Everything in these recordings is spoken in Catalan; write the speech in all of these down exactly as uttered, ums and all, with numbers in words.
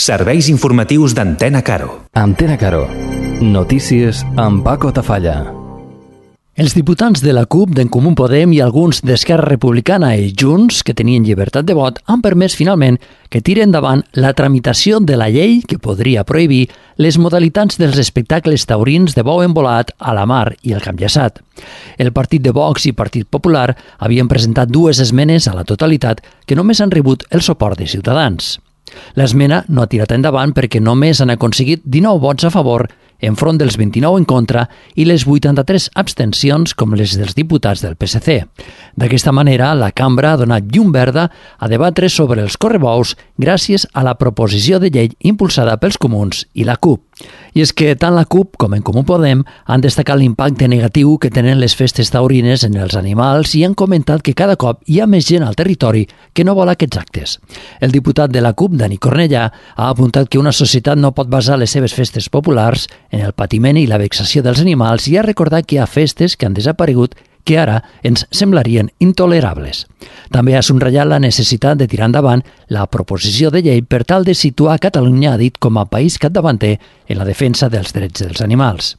Serveis informatius d'Antena Caro. Antena Caro. Notícies amb Paco Tafalla. Els diputats de la CUP, d'en Comú Podem i alguns d'Esquerra Republicana i Junts, que tenien llibertat de vot, han permès finalment que tiri endavant la tramitació de la llei que podria prohibir les modalitats dels espectacles taurins de bou embolat a la mar i el Campllaçat. El partit de Vox i Partit Popular havien presentat dues esmenes a la totalitat que només han rebut el suport de Ciutadans. L'esmena no ha tirat endavant perquè només han aconseguit dinou vots a favor enfront dels vint-i-nou en contra i les vuitanta-tres abstencions com les dels diputats del P S C. D'aquesta manera, la cambra ha donat llum verda a debatre sobre els correbous gràcies a la proposició de llei impulsada pels comuns i la CUP. I és que tant la CUP com en Comú Podem han destacat l'impacte negatiu que tenen les festes taurines en els animals i han comentat que cada cop hi ha més gent al territori que no vol aquests actes. El diputat de la CUP, Dani Cornellà, ha apuntat que una societat no pot basar les seves festes populars en el patiment i la vexació dels animals i ha recordat que hi ha festes que han desaparegut que ara ens semblarien intolerables. També ha subratllat la necessitat de tirar endavant la proposició de llei per tal de situar Catalunya, ha dit, com a país capdavanter en la defensa dels drets dels animals.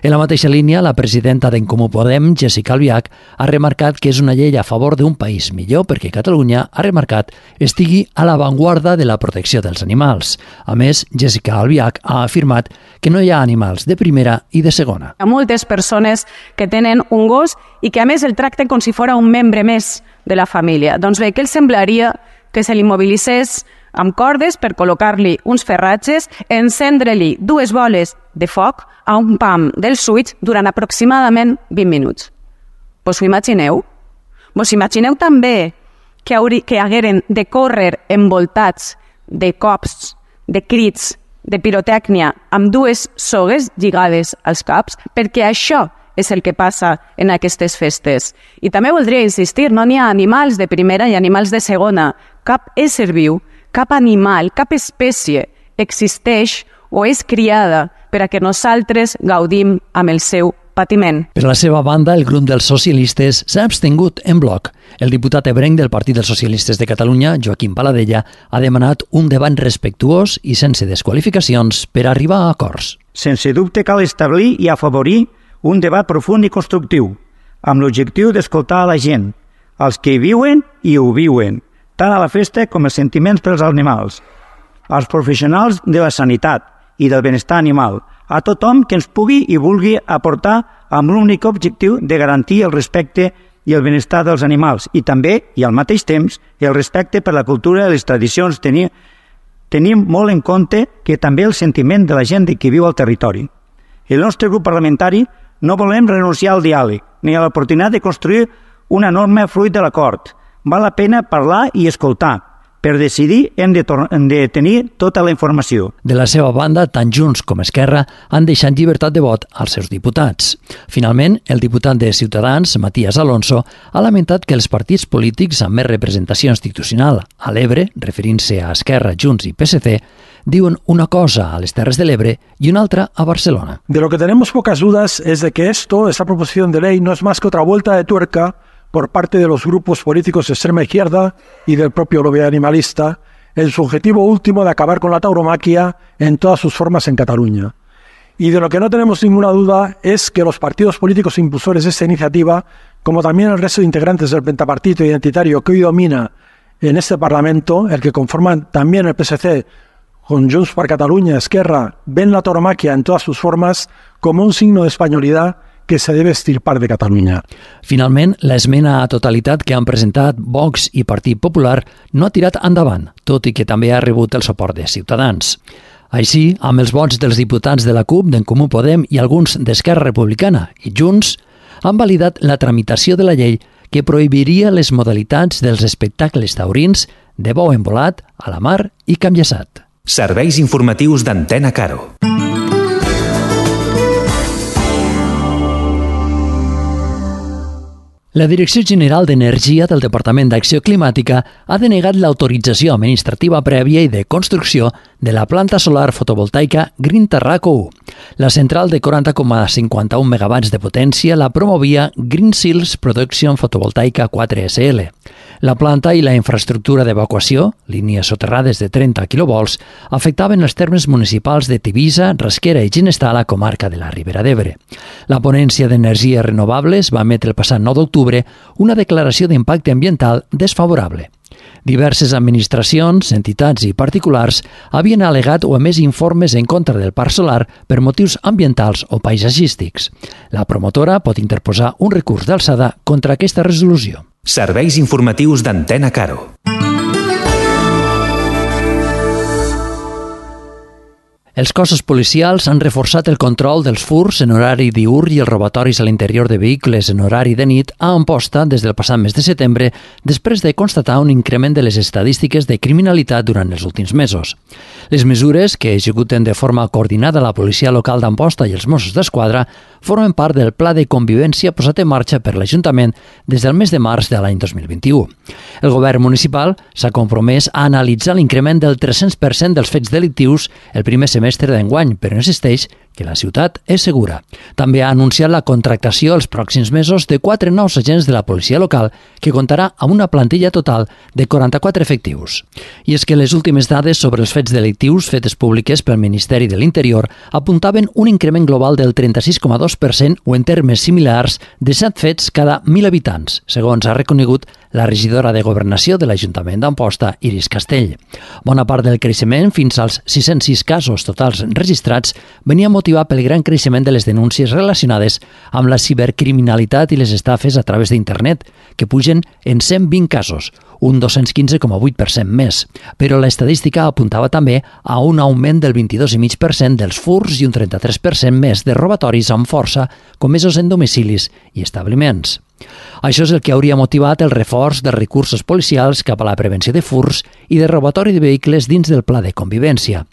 En la mateixa línia, la presidenta d'en Comú Podem, Jessica Albiach, ha remarcat que és una llei a favor d'un país millor perquè Catalunya, ha remarcat, estigui a l'avantguarda de la protecció dels animals. A més, Jessica Albiach ha afirmat que no hi ha animals de primera i de segona. Hi ha moltes persones que tenen un gos i que a més el tracten com si fos un membre més de la família. Doncs bé, què els semblaria que se l'immobilitzés amb cordes per col·locar-li uns ferratges, encendre-li dues boles de foc a un pam del switch durant aproximadament vint minuts. Vos ho imagineu? Vos imagineu també que, hauri, que hagueren de córrer envoltats de cops, de crits, de pirotècnia, amb dues sogues lligades als caps, perquè això és el que passa en aquestes festes. I també voldria insistir, no n'hi ha animals de primera i animals de segona. Cap ésser viu, cap animal, cap espècie existeix o és criada per a que nosaltres gaudim amb el seu patiment. Per la seva banda, el grup dels socialistes s'ha abstingut en bloc. El diputat ebrenc del Partit dels Socialistes de Catalunya, Joaquim Paladella, ha demanat un debat respectuós i sense desqualificacions per arribar a acords. Sense dubte cal establir i afavorir un debat profund i constructiu, amb l'objectiu d'escoltar a la gent, els que hi viuen i ho viuen, tant a la festa com els sentiments pels animals, als professionals de la sanitat i del benestar animal, a tothom que ens pugui i vulgui aportar amb l'únic objectiu de garantir el respecte i el benestar dels animals i també, i al mateix temps, el respecte per la cultura i les tradicions. Tenim, tenim molt en compte que també el sentiment de la gent que viu al territori. El nostre grup parlamentari no volem renunciar al diàleg ni a l'oportunitat de construir una norma fruit de l'acord. Val la pena parlar i escoltar. Per decidir hem de, hem de tenir tota la informació. De la seva banda, tant Junts com Esquerra han deixat llibertat de vot als seus diputats. Finalment, el diputat de Ciutadans, Matías Alonso, ha lamentat que els partits polítics amb més representació institucional a l'Ebre, referint-se a Esquerra, Junts i P S C, diuen una cosa a les Terres de l'Ebre y una altra a Barcelona. De lo que tenemos pocas dudas es de que esto, esta proposición de ley, no es más que otra vuelta de tuerca por parte de los grupos políticos de extrema izquierda y del propio lobby animalista, en su objetivo último de acabar con la tauromaquia en todas sus formas en Cataluña. Y de lo que no tenemos ninguna duda es que los partidos políticos impulsores de esta iniciativa, como también el resto de integrantes del pentapartito identitario que hoy domina en este Parlamento, el que conforman también el P S C, con Junts per Catalunya, Esquerra, ven la tauromaquia en todas sus formas como un signo de españolidad que se debe estirpar de Catalunya. Finalment, l'esmena a totalitat que han presentat Vox i Partit Popular no ha tirat endavant, tot i que també ha rebut el suport de Ciutadans. Així, amb els vots dels diputats de la CUP, d'en Comú Podem i alguns d'Esquerra Republicana i Junts, han validat la tramitació de la llei que prohibiria les modalitats dels espectacles taurins de bou embolat a la mar i Campllaçat. Serveis informatius d'Antena Caro. La Direcció General d'Energia del Departament d'Acció Climàtica ha denegat l'autorització administrativa prèvia i de construcció de la planta solar fotovoltaica Green Terraco u. La central de quaranta coma cinquanta-un megawatts de potència la promovia Green Seals Production Fotovoltaica quatre essa ele. La planta i la infraestructura d'evacuació, línies soterrades de trenta quilovolts, afectaven els termes municipals de Tivissa, Rasquera i Ginestar a la comarca de la Ribera d'Ebre. La Ponència d'Energies Renovables va emetre el passat nou d'octubre una declaració d'impacte ambiental desfavorable. Diverses administracions, entitats i particulars havien al·legat o emès informes en contra del parc solar per motius ambientals o paisatgístics. La promotora pot interposar un recurs d'alçada contra aquesta resolució. Serveis informatius d'Antena Caro. Els cossos policials han reforçat el control dels furs en horari diürn i els robatoris a l'interior de vehicles en horari de nit a Amposta des del passat mes de setembre, després de constatar un increment de les estadístiques de criminalitat durant els últims mesos. Les mesures, que executen de forma coordinada la policia local d'Amposta i els Mossos d'Esquadra, formen part del pla de convivència posat en marxa per l'Ajuntament des del mes de març de l'any dos mil vint-i-u. El govern municipal s'ha compromès a analitzar l'increment del tres-cents per cent dels fets delictius el primer semestre d'enguany, però insisteix que la ciutat és segura. També ha anunciat la contractació els pròxims mesos de quatre nous agents de la policia local, que comptarà amb una plantilla total de quaranta-quatre efectius. I és que les últimes dades sobre els fets delictius fetes públiques pel Ministeri de l'Interior apuntaven un increment global del trenta-sis coma dos per cent o en termes similars de set fets cada mil habitants, segons ha reconegut la regidora de Governació de l'Ajuntament d'Amposta, Iris Castell. Bona part del creixement, fins als sis-cents sis casos totals registrats, venia motivat pel gran creixement de les denúncies relacionades amb la cibercriminalitat i les estafes a través d'internet, que pugen en cent vint casos, un dos-cents quinze coma vuit per cent més. Però l'estadística apuntava també a un augment del vint-i-dos coma cinc per cent dels furs i un trenta-tres per cent més de robatoris amb força comesos en domicilis i establiments. Això és el que hauria motivat el reforç dels recursos policials cap a la prevenció de furs i de robatori de vehicles dins del pla de convivència.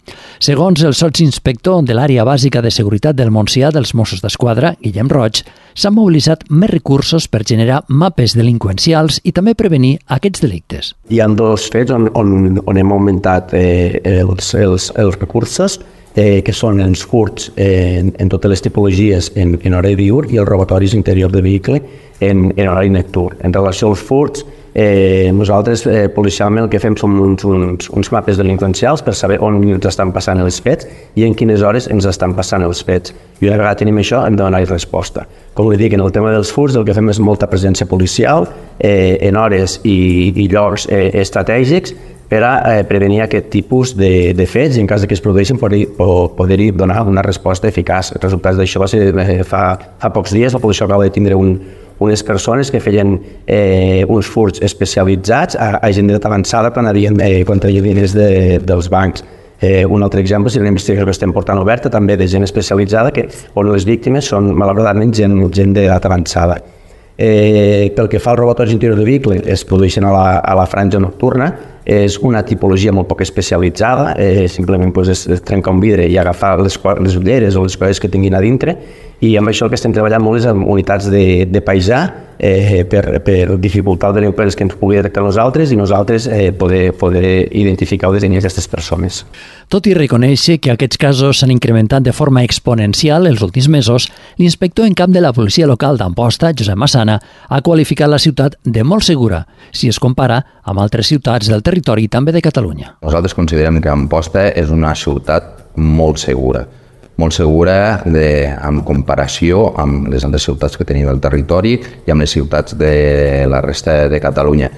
Segons el sotsinspector de l'àrea bàsica de seguretat del Montsià dels Mossos d'Esquadra, Guillem Roig, s'han mobilitzat més recursos per generar mapes delinqüencials i també prevenir aquests delictes. Hi ha dos fets on, on, on hem augmentat eh, els, els, els recursos, eh, que són els furts eh, en, en totes les tipologies en, en horari diürn i els robatoris interior de vehicle en, en horari nocturn. En relació als furts, eh, nosaltres eh, policialment el que fem són uns, uns, uns mapes delinqüencials per saber on ens estan passant els fets i en quines hores ens estan passant els fets. I una vegada tenim això hem de donar-hi resposta. Com li dic, en el tema dels furts el que fem és molta presència policial eh, en hores i, i llocs eh, estratègics per a eh, prevenir aquest tipus de, de fets i en cas que es produeixin poder-hi poder donar una resposta eficaç. Els resultats d'això va ser eh, fa, fa pocs dies, la policia acaba de tindre un, unes persones que feien eh, uns furts especialitzats a, a gent d'edat avançada quan havien eh, contrallit diners de, dels bancs. Eh, un altre exemple és una investigació que estem portant oberta també de gent especialitzada que, on les víctimes són malauradament gent, gent d'edat avançada. Eh, pel que fa al robatori interior de vehicle, es produeixen a la, a la franja nocturna, és una tipologia molt poc especialitzada, eh, simplement pues, és, és trencar un vidre i agafar les, les ulleres o les coses que tinguin a dintre, i amb això el que estem treballant molt és amb unitats de, de paisà eh, per, per dificultar els delinqüents que ens pugui detectar nosaltres i nosaltres eh, poder, poder identificar o detenir aquestes persones. Tot i reconèixer que aquests casos s'han incrementat de forma exponencial els últims mesos, l'inspector en cap de la policia local d'Amposta, Josep Massana, ha qualificat la ciutat de molt segura, si es compara amb altres ciutats del territori i també de Catalunya. Nosaltres considerem que Amposta és una ciutat molt segura, molt segura de, en comparació amb les altres ciutats que tenim al territori i amb les ciutats de la resta de Catalunya.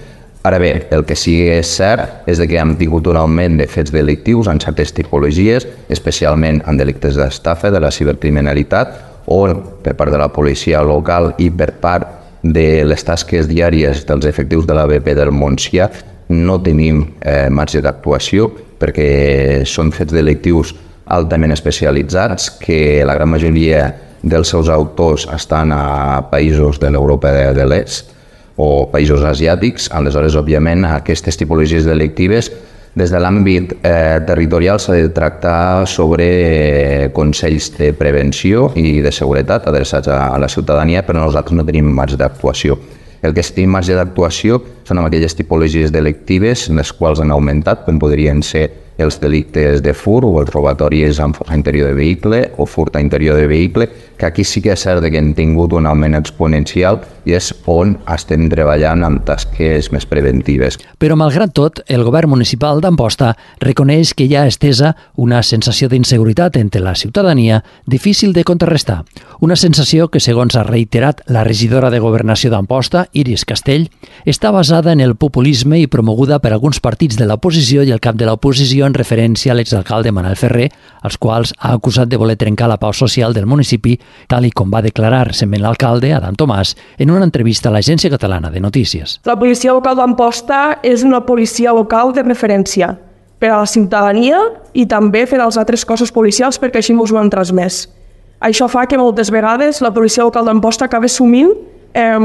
Ara bé, el que sí que és cert és que hem tingut un augment de fets delictius en certes tipologies, especialment en delictes d'estafa, de la cibercriminalitat, o per part de la policia local i per part de les tasques diàries dels efectius de la B P del Montsià no tenim eh, marge d'actuació perquè són fets delictius altament especialitzats que la gran majoria dels seus autors estan a països de l'Europa de, de l'Est o països asiàtics. Aleshores, òbviament, aquestes tipologies delictives des de l'àmbit eh, territorial s'ha de tractar sobre eh, consells de prevenció i de seguretat adreçats a, a la ciutadania, però nosaltres no tenim marge d'actuació. El que té marge d'actuació són amb aquelles tipologies delictives en les quals han augmentat, com podrien ser els delictes de fur o els robatoris amb força interior de vehicle o furt a interior de vehicle, que aquí sí que és cert que han tingut un augment exponencial i és on estem treballant amb tasques més preventives. Però, malgrat tot, el govern municipal d'Amposta reconeix que hi ha estesa una sensació d'inseguretat entre la ciutadania difícil de contrarrestar. Una sensació que, segons ha reiterat la regidora de Governació d'Amposta, Iris Castell, està basada en el populisme i promoguda per alguns partits de l'oposició i el cap de l'oposició en referència a l'exalcalde Manel Ferrer, als quals ha acusat de voler trencar la pau social del municipi, tal i com va declarar recentment l'alcalde, Adam Tomàs, en una entrevista a l'Agència Catalana de Notícies. La policia local d'Amposta és una policia local de referència per a la ciutadania i també per als altres cossos policials, perquè així ens ho han transmès. Això fa que moltes vegades la policia local d'Amposta acabi assumint eh,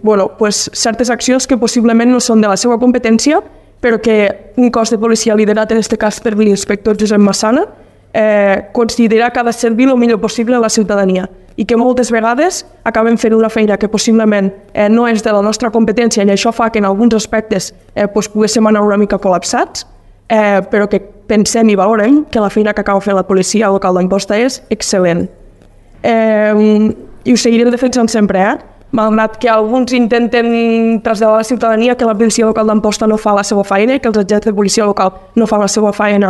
bueno, pues, certes accions que possiblement no són de la seva competència, però que un cos de policia liderat, en aquest cas per l'inspector Josep Massana, eh, considera que ha de servir el millor possible a la ciutadania i que moltes vegades acaben fent una feina que possiblement eh, no és de la nostra competència i això fa que en alguns aspectes eh, pues, poguéssim anar una mica col·lapsats, eh, però que pensem i valorem que la feina que acaba fent la policia local d'Amposta és excel·lent. Eh, I ho seguirem defensant sempre, eh? Malgrat que alguns intenten traslladar a la ciutadania que la policia local d'Amposta no fa la seva feina i que els agents de policia local no fan la seva feina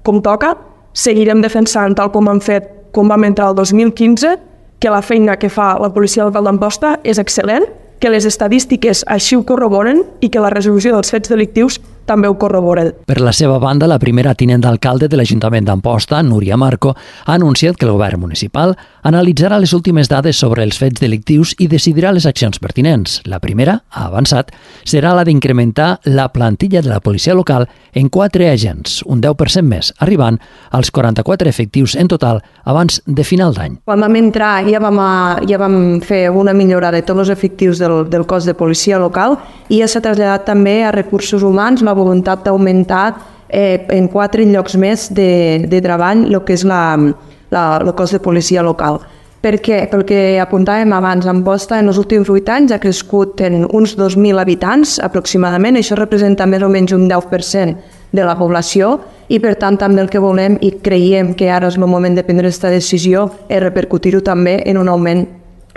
com toca, seguirem defensant, tal com han fet, com vam entrar el dos mil quinze, que la feina que fa la policia local d'Amposta és excel·lent, que les estadístiques així ho corroboren i que la resolució dels fets delictius també ho corroboren. Per la seva banda, la primera tinent d'alcalde de l'Ajuntament d'Amposta, Núria Marco, ha anunciat que el govern municipal analitzarà les últimes dades sobre els fets delictius i decidirà les accions pertinents. La primera, ha avançat, serà la d'incrementar la plantilla de la policia local en quatre agents, un deu per cent més, arribant als quaranta-quatre efectius en total abans de final d'any. Quan vam entrar ja vam, ja vam fer una millora de tots els efectius del, del cos de policia local i ja s'ha traslladat també a recursos humans la voluntat d'augmentar eh, en quatre llocs més de, de treball el que és la, la, el cos de policia local. Per què? Pel que apuntàvem abans, Amposta en els últims vuit anys ha crescut en uns dos mil habitants aproximadament, això representa més o menys un deu per cent de la població i per tant també el que volem i creiem que ara és el moment de prendre aquesta decisió és repercutir-ho també en un augment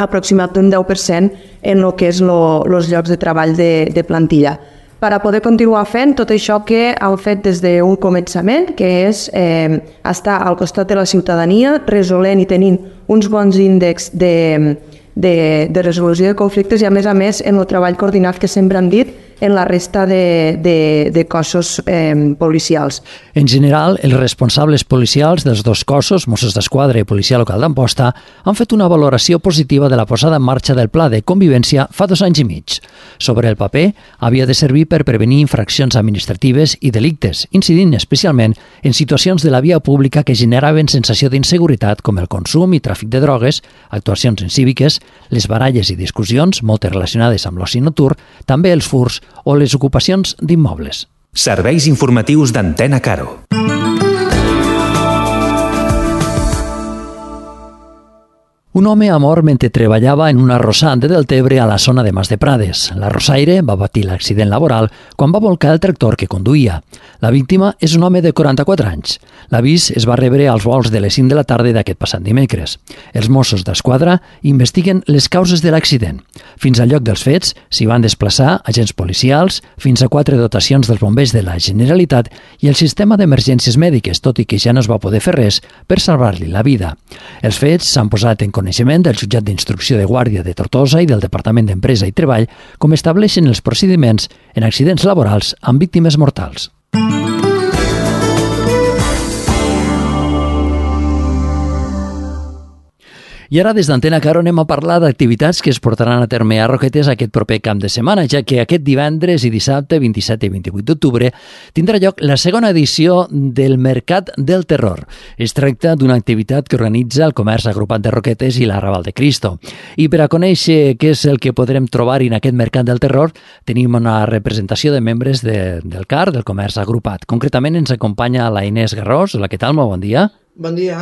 aproximat d'un deu per cent en el que és els llocs de treball de, de plantilla. Per a poder continuar fent tot això que han fet des d'un començament, que és eh, estar al costat de la ciutadania, resolent i tenint uns bons índexs de, de, de resolució de conflictes i, a més a més, en el treball coordinat que sempre han dit en la resta de, de, de cossos eh, policials. En general, els responsables policials dels dos cossos, Mossos d'Esquadra i Policia Local d'Amposta, han fet una valoració positiva de la posada en marxa del pla de convivència fa dos anys i mig. Sobre el paper, havia de servir per prevenir infraccions administratives i delictes, incidint especialment en situacions de la via pública que generaven sensació d'inseguretat com el consum i tràfic de drogues, actuacions incíviques, les baralles i discussions, moltes relacionades amb l'oci nocturn, també els furs o les ocupacions d'immobles. Serveis informatius d'Antena Caro. Un home ha mort mentre treballava en un arrossant de Deltebre a la zona de Mas de Prades. L'arrossaire va patir l'accident laboral quan va volcar el tractor que conduïa. La víctima és un home de quaranta-quatre anys. L'avís es va rebre als volts de les cinc de la tarda d'aquest passat dimecres. Els Mossos d'Esquadra investiguen les causes de l'accident. Fins al lloc dels fets s'hi van desplaçar agents policials, fins a quatre dotacions dels bombers de la Generalitat i el sistema d'emergències mèdiques, tot i que ja no es va poder fer res per salvar-li la vida. Els fets s'han posat en coneixement del jutjat d'instrucció de Guàrdia de Tortosa i del Departament d'Empresa i Treball, com estableixen els procediments en accidents laborals amb víctimes mortals. I ara des d'Antena Caro anem a parlar d'activitats que es portaran a terme a Roquetes aquest proper cap de setmana, ja que aquest divendres i dissabte, vint-i-set i vint-i-vuit d'octubre, tindrà lloc la segona edició del Mercat del Terror. Es tracta d'una activitat que organitza el Comerç Agrupat de Roquetes i l'Arrabal de Cristo. I per a conèixer què és el que podrem trobar en aquest Mercat del Terror, tenim una representació de membres de, del C A R, del Comerç Agrupat. Concretament ens acompanya la Inés Garrós. Hola, què tal? Molt bon dia. Bon dia.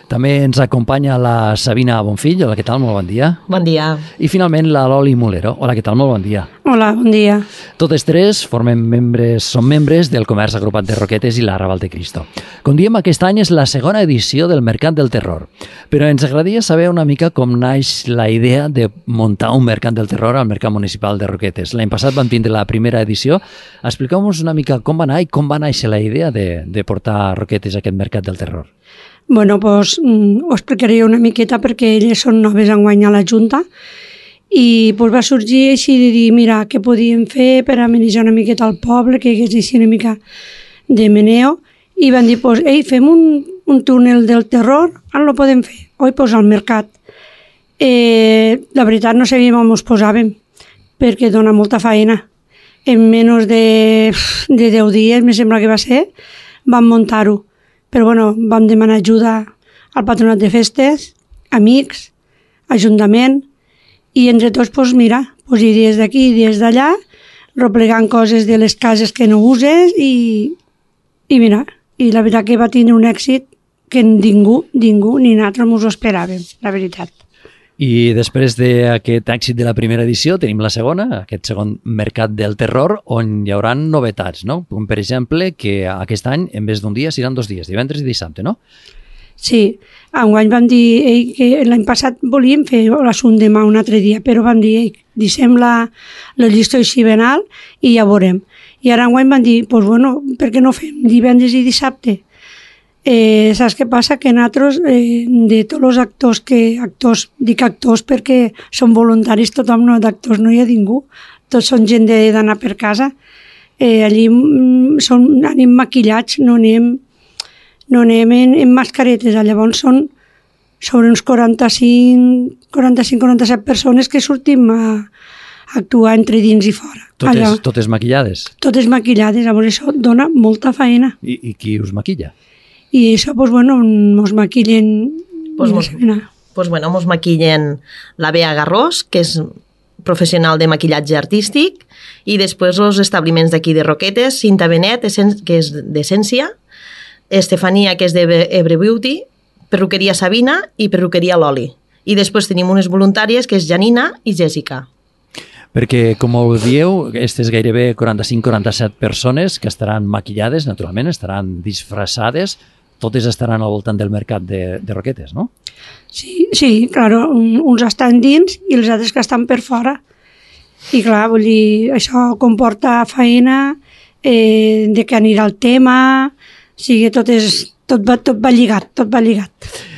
També ens acompanya la Sabina Bonfill. Hola, què tal? Molt bon dia. Bon dia. I finalment la Loli Mulero. Hola, què tal? Molt bon dia. Hola, bon dia. Totes tres formem membres, són membres del Comerç Agrupat de Roquetes i la Raval de Cristo. Com diem, aquest any és la segona edició del Mercat del Terror. Però ens agradaria saber una mica com naix la idea de muntar un Mercat del Terror al Mercat Municipal de Roquetes. L'any passat vam tindre la primera edició. Expliqueu-nos una mica com va anar i com va néixer la idea de, de portar a Roquetes aquest Mercat del Terror. Bueno, doncs ho explicaré una miqueta perquè elles són noves enguany a la Junta i doncs, va sorgir així de dir, mira, què podíem fer per amenitzar una miqueta al poble, que hi hagués així una mica de meneo, i van dir, doncs, ei, fem un, un túnel del terror, on lo podem fer? Oi, doncs al mercat. Eh, la veritat no sabíem on ens posàvem, perquè dona molta feina. En menys de, de deu dies, me sembla que va ser, vam muntar-ho. Però bueno, vam demanar ajuda al patronat de festes, amics, ajuntament, i entre tots, doncs mira, doncs idees d'aquí, idees d'allà, replegant coses de les cases que no uses i, i mira, i la veritat que va tindre un èxit que ningú, ningú, ni nosaltres ens ho esperàvem, la veritat. I després d'aquest èxit de la primera edició tenim la segona, aquest segon Mercat del Terror, on hi haurà novetats, no? Com per exemple, que aquest any, en vez d'un dia, seran dos dies, divendres i dissabte, no? Sí, enguany vam dir ei, que l'any passat volíem fer l'assumpte demà un altre dia, però vam dir, ei, deixem la, la llista així ben alt i ja veurem. I ara enguany vam dir, doncs bueno, per què no fem divendres i dissabte? Eh, saps què passa? Que nosaltres, eh, de tots els actors, que actors, dic actors perquè són voluntaris, tothom no d'actors, no hi ha ningú, tots són gent d'anar per casa, eh, allí són, anem maquillats, no anem, no anem en, en mascaretes, llavors són sobre uns quaranta-cinc quaranta-set persones que sortim a, a actuar entre dins i fora. Totes, Allà, totes maquillades? Totes maquillades, llavors això dona molta feina. I, i qui us maquilla? I això, doncs, bueno, mos maquillen... Pues mos, pues bueno, mos maquillen la Bea Garrós, que és professional de maquillatge artístic, i després els establiments d'aquí de Roquetes, Cinta Benet, que és d'Essència, Estefania, que és d'Ebre Beauty, Perruqueria Sabina i Perruqueria Loli. I després tenim unes voluntàries, que és Janina i Jessica. Perquè, com ho dieu, aquestes gairebé quaranta-cinc quaranta-set persones que estaran maquillades, naturalment, estaran disfressades, totes estaran al voltant del mercat de, de Roquetes, no? Sí, sí, claro, uns estan dins i els altres que estan per fora. I clar, vull dir, això comporta feina, eh, de que anirà el tema, o sigui, tot, és, tot, va, tot va lligat, tot va lligat.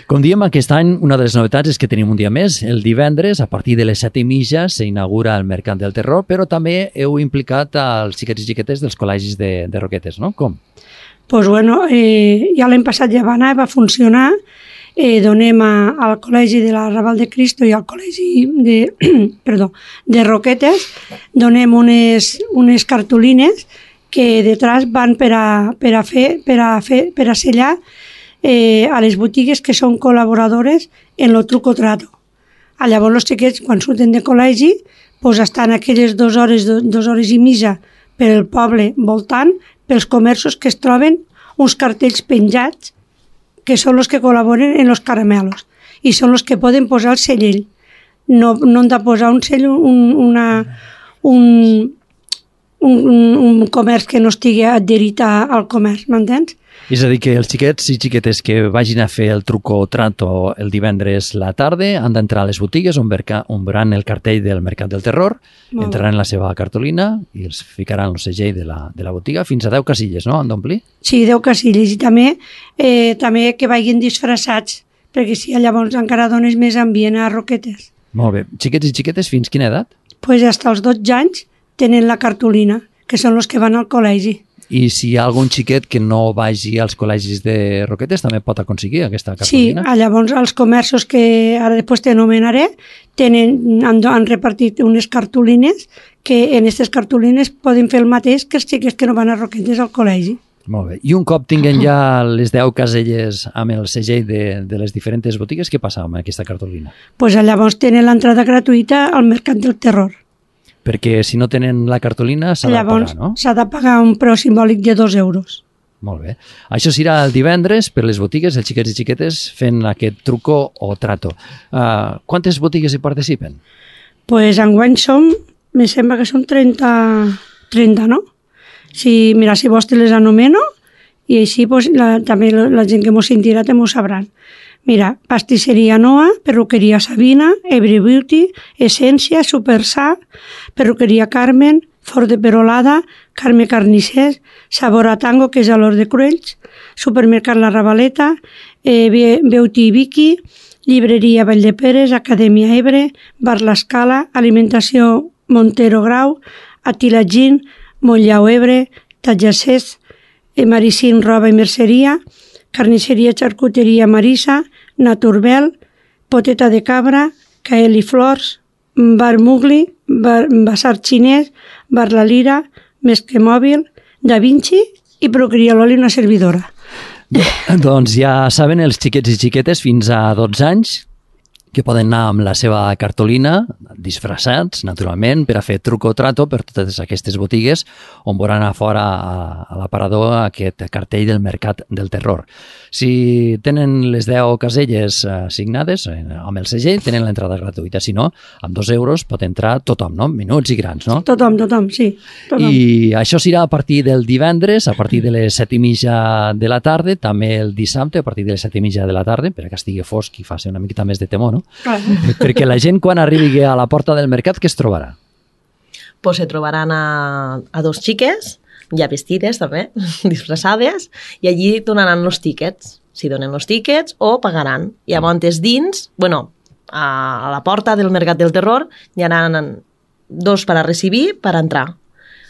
Com diem, aquest any una de les novetats és que tenim un dia més. El divendres, a partir de les set i mitja, s'inaugura el Mercat del Terror, però també heu implicat als xiquets i xiquetes dels col·legis de, de Roquetes, no? Com? Doncs pues bueno, eh, ja l'any passat ja va anar, va funcionar. Eh, donem a, al Col·legi de la Raval de Cristo i al Col·legi de, perdó, de Roquetes, donem unes, unes cartolines que detrás van per a, per a fer, per a fer, per a sellar Eh, a les botigues que són col·laboradores en lo truco trato. A llavors els xiquets, quan surten de col·legi, pues estan aquelles dues hores, dues hores i mitja pel poble voltant, pels comerços que es troben uns cartells penjats que són els que col·laboren en els caramelos i són els que poden posar el cellell. No, no han de posar un cell, un, una, un, un, un comerç que no estigui adherit al comerç, m'entens? És a dir, que els xiquets i xiquetes que vagin a fer el truco o trato el divendres a la tarda han d'entrar a les botigues on, on veuran el cartell del Mercat del Terror, entraran la seva cartolina i els ficaran el segell de la, de la botiga fins a deu casilles, no? Han d'omplir? Sí, deu casilles, i també, eh, també que vagin disfressats, perquè si llavors encara dones més ambient a Roquetes. Molt bé. Xiquets i xiquetes fins quina edat? Doncs pues hasta els dotze anys tenen la cartolina, que són els que van al col·legi. I si hi ha algun xiquet que no vagi als col·legis de Roquetes, també pot aconseguir aquesta Sí, cartolina? llavors els comerços que ara després t'anomenaré tenen, han, han repartit unes cartolines que en aquestes cartolines poden fer el mateix que els xiquets que no van a Roquetes al col·legi. Molt bé. I un cop tinguen ja les deu caselles amb el segell de, de les diferents botigues, què passa amb aquesta cartolina? Pues llavors tenen l'entrada gratuïta al Mercat del Terror. Perquè si no tenen la cartolina s'ha de pagar, no? S'ha de pagar un preu simbòlic de dos euros. Molt bé. Això serà el divendres per les botigues, els xiquets i xiquetes fent aquest truco o trato. Uh, quantes botigues hi participen? Pues enguany som, me sembla que són trenta, trenta, no? Si, mira, si vols te les anomeno i així pues, la, també la, la gent que mos sentirà te m'ho sabran. Mira, pastisseria Noa, perruqueria Sabina, Every Beauty, Essència, Supersà, perruqueria Carmen, Fort de Perolada, Carme Carnissers, Sabor a Tango, que és a l'Hort de Cruells, Supermercat La Ravaleta, eh, Beauty Vicky, Llibreria Valldeperes, Acadèmia Ebre, Bar l'Escala, Alimentació Montero Grau, Atila Gin, Montllao Ebre, Tatjacés, eh, Maricín Roba i Merceria, Carnisseria Charcuteria Marisa, Naturbel, Poteta de Cabra, Cael i Flors, Bar Mugli, Bar, Basar Xinès, Bar La Lira, Mesque Mòbil, Da Vinci i Procria l'Oli una servidora. Doncs ja saben els xiquets i xiquetes fins a dotze anys que poden anar amb la seva cartolina, disfressats, naturalment, per a fer truco o trato per totes aquestes botigues on veuran a fora a l'aparador aquest cartell del Mercat del Terror. Si tenen les deu caselles assignades amb el segell, tenen l'entrada gratuïta. Si no, amb dos euros pot entrar tothom, no? Menuts i grans, no? Tothom, tothom, sí. Tothom. I això serà a partir del divendres, a partir de les set i mitja de la tarda, també el dissabte, a partir de les set i mitja de la tarda, per que estigui fosc i faci una miqueta més de temor, no? Clar. Perquè la gent quan arribi a la porta del mercat, què es trobarà? Pues se trobaran a, a dos xiques, ja vestides també, disfressades, i allí donaran els tíquets. Si donen els tíquets o pagaran. I llavors dins, bueno, a, a la porta del Mercat del Terror hi ha dos per a recibir, per a entrar.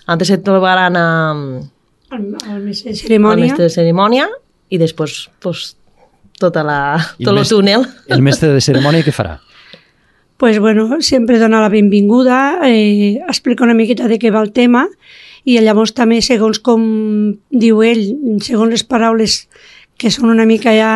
Antes se trobaran a, al, al mestre de cerimònia. Al mestre de cerimònia i després pues, tota la, tot el, el túnel. El mestre de cerimònia què farà? Pues bueno, sempre dona la benvinguda, eh, explica una miqueta de què va el tema i llavors també, segons com diu ell, segons les paraules que són una mica ja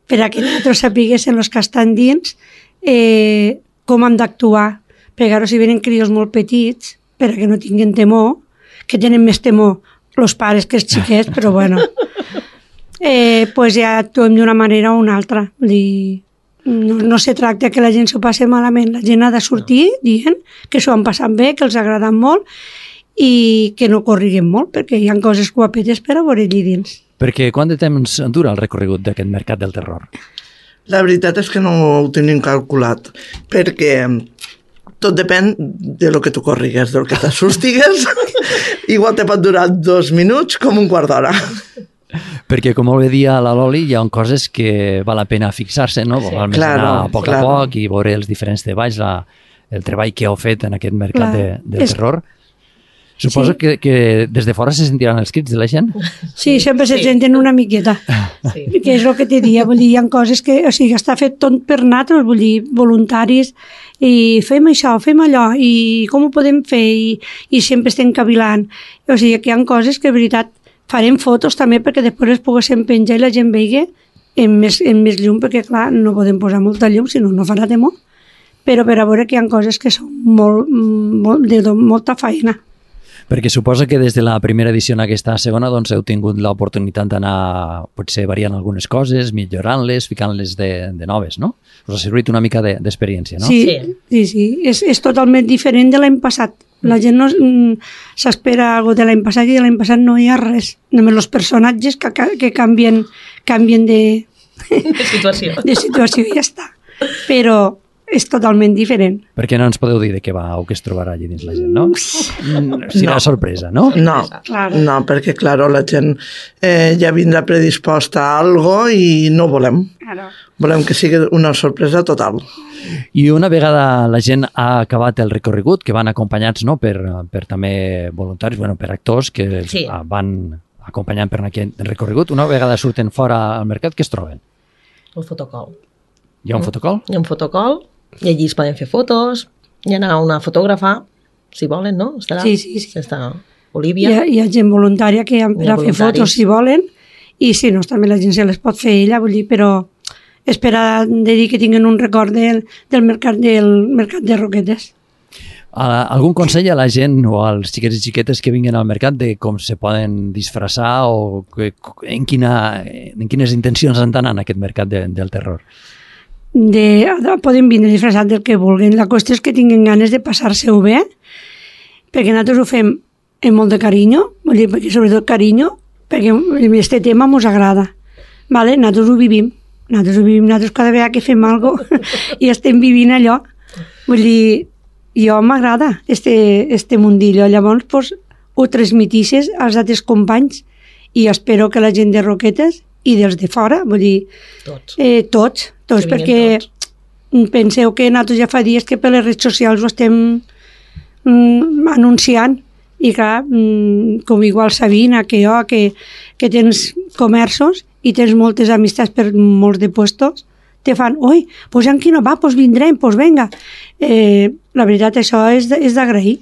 per a que nosaltres sapiguessin els que estan dins, eh, com han d'actuar. Perquè ara si venen crios molt petits, per a que no tinguin temor, que tenen més temor els pares que els xiquets, però bueno, eh, pues ja actuem d'una manera o una altra. Vull dir, no, no se tracta que la gent s'ho passi malament, la gent ha de sortir dient que s'ho han passat bé, que els ha agradat molt i que no corriguin molt, perquè hi ha coses guapetes per a veure allí dins. Perquè quant de temps dura el recorregut d'aquest Mercat del Terror? La veritat és que no ho tenim calculat, perquè tot depèn de lo que tu corrigues, del que t'assustigues. Igual te pot durar dos minuts com un quart d'hora. Perquè, com molt bé dia la Loli, hi ha coses que val la pena fixar-se, no? Sí. Val més claro, anar a poc claro. a poc i veure els diferents treballs, la, el treball que heu fet en aquest Mercat de, del és... Terror. Suposo sí. que, que des de fora se sentiran els crits de la gent? Sí, sempre sí. se senten una miqueta. Sí. Que és el que te dia, vull dir, hi ha coses que, o sigui, està fet tot per nosaltres, vull dir, voluntaris, i fem això, fem allò, i com ho podem fer, i, i sempre estem cavilant. O sigui, que hi ha coses que, de veritat, farem fotos també perquè després es poguéssim penjar i la gent vegi en més, en més llum, perquè clar, no podem posar molta llum, sinó no farà temor. Però per a veure que hi ha coses que són molt, molt, de molta feina. Perquè suposa que des de la primera edició en aquesta segona doncs, heu tingut l'oportunitat d'anar potser variant algunes coses, millorant-les, ficant-les de, de noves, no? Us ha servit una mica d'experiència, no? Sí, sí, sí. És, és totalment diferent de l'any passat. La gent no s'espera alguna de l'any passat i de l'any passat no hi ha res. Només els personatges que, que canvien, canvien de, de situació. De situació i ja està. Però és totalment diferent. Per què no ens podeu dir de què va o què es trobarà allà dins la gent, no? Serà no. sorpresa, no? No, claro. no perquè, clar, la gent eh, ja vindrà predisposta a algo i no volem. Claro. Volem que sigui una sorpresa total. I una vegada la gent ha acabat el recorregut, que van acompanyats no, per, per també voluntaris, bueno, per actors que sí. van acompanyant per aquest recorregut, una vegada surten fora al mercat, què es troben? El fotocol. Hi ha un fotocol? Hi ha un fotocol, i allí es poden fer fotos, hi ha una fotògrafa, si volen, no? Estarà, sí, sí, sí. Està Olivia. Hi ha, hi ha gent voluntària que han per a fer fotos si volen, i si no, també la gent se les pot fer ella, vull dir, però espera de dir que tinguen un record del, del, mercat, del mercat de Roquetes. Algun consell a la gent o als xiquets i xiquetes que vinguin al mercat de com se poden disfressar o que, en, quina, en quines intencions han d'anar en aquest mercat de, del terror? De, poden vindre disfressats del que vulguin. La qüestió és que tinguin ganes de passar-se-ho bé, perquè nosaltres ho fem amb molt de carinyo, vull dir, perquè sobretot carinyo, perquè aquest tema ens agrada. Vale? Nosaltres ho vivim. Nosaltres ho vivim, nosaltres cada vegada que fem alguna cosa i estem vivint allò. Vull dir, jo m'agrada este, este mundillo, llavors pues, ho transmitisses als altres companys i espero que la gent de Roquetes i dels de fora, vull dir, tots, eh, tots, tots perquè tots. Penseu que nosaltres ja fa dies que per les redes socials ho estem mm, anunciant i clar, mm, com igual Sabina, que jo, que, que tens comerços i tens moltes amistats per molts de puestos, te fan, oi, pues en qui no va, pues vindrem, pues venga. Eh, la veritat, això és, és d'agrair,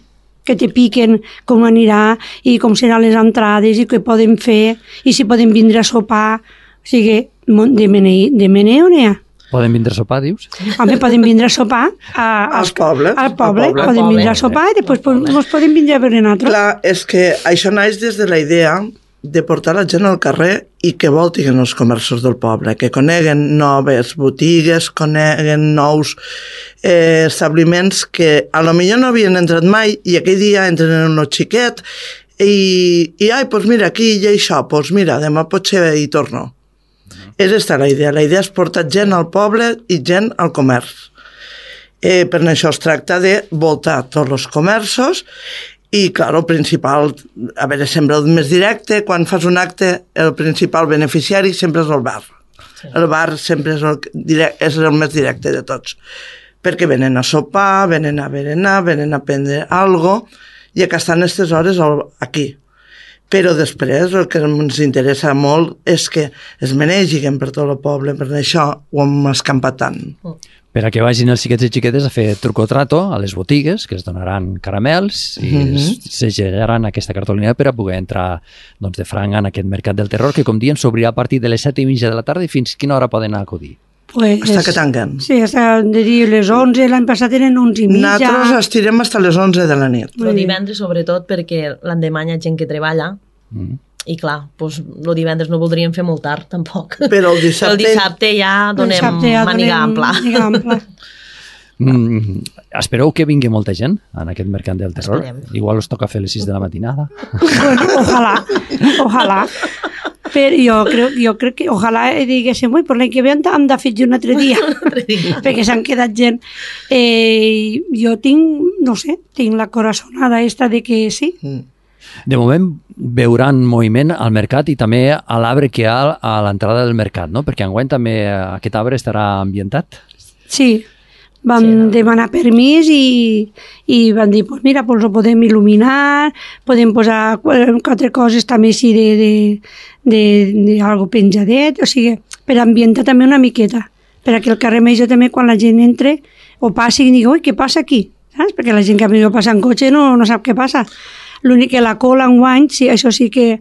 que te piquen com anirà i com seran les entrades i què poden fer i si poden vindre a sopar. O sigui, de meneu, de meneu n'hi ha. Poden vindre a sopar, dius? Home, poden vindre a sopar a, als pobles. Al poble, al poble. Poden vindre a sopar i després ens poden vindre a veure nosaltres. Clar, és que això naix des de la idea de portar la gent al carrer i que voltin els comerços del poble, que coneguen noves botigues, coneguen nous eh, establiments que a lo millor no havien entrat mai i aquell dia entren en un xiquet i, i ai, doncs mira, aquí hi ha això, doncs mira, demà potser hi torno. No. És aquesta la idea. La idea és portar gent al poble i gent al comerç. Eh, per això es tracta de voltar tots els comerços i, clar, el principal, a veure, sempre el més directe, quan fas un acte, el principal beneficiari sempre és el bar. Sí. El bar sempre és el, direct, és el més directe de tots, perquè venen a sopar, venen a berenar, venen a prendre alguna cosa, i que estan a aquestes hores aquí. Però després el que ens interessa molt és que es menegin per tot el poble, per això ho hem escampat tant. Per a que vagin els xiquets i xiquetes a fer truco-trato a les botigues, que es donaran caramels i mm-hmm. segellaran aquesta cartolina per a poder entrar doncs, de franc en aquest mercat del terror, que com diem s'obrirà a partir de les set i mitja de la tarda i fins quina hora poden acudir? Pues, hasta que tanquen. Sí, hasta de dir les onze, l'any passat eren onze i mitja. Nosaltres estirem fins a les onze de la nit. El divendres, sobretot, perquè l'endemà hi ha gent que treballa, mm. i clar, doncs, el divendres no voldríem fer molt tard, tampoc. Però el dissabte... El dissabte ja donem dissabte ja màniga ampla. ampla. Mm, espereu que vingui molta gent en aquest mercat del terror. Esperem. Igual us toca fer les sis de la matinada. Bueno, ojalà, ojalà. Però jo crec, jo crec que ojalà diguéssim, ui, per l'any que ve hem de fer un altre dia, perquè s'han quedat gent. Eh, jo tinc, no sé, tinc la corazonada esta de que sí. Mm. De moment veuran moviment al mercat i també a l'arbre que hi ha a l'entrada del mercat, no? Perquè enguany també aquest arbre estarà ambientat. Sí, vam sí, no? demanar permís i, i van dir, pues mira, pues ho podem il·luminar, podem posar quatre coses també així de, de, de, de algo penjadet, o sigui, per ambientar també una miqueta, perquè el carrer Major també quan la gent entre o passi i digui, ui, què passa aquí? Saps? Perquè la gent que millor passa en cotxe no, no sap què passa. L'únic que la cola enguany, sí, això sí que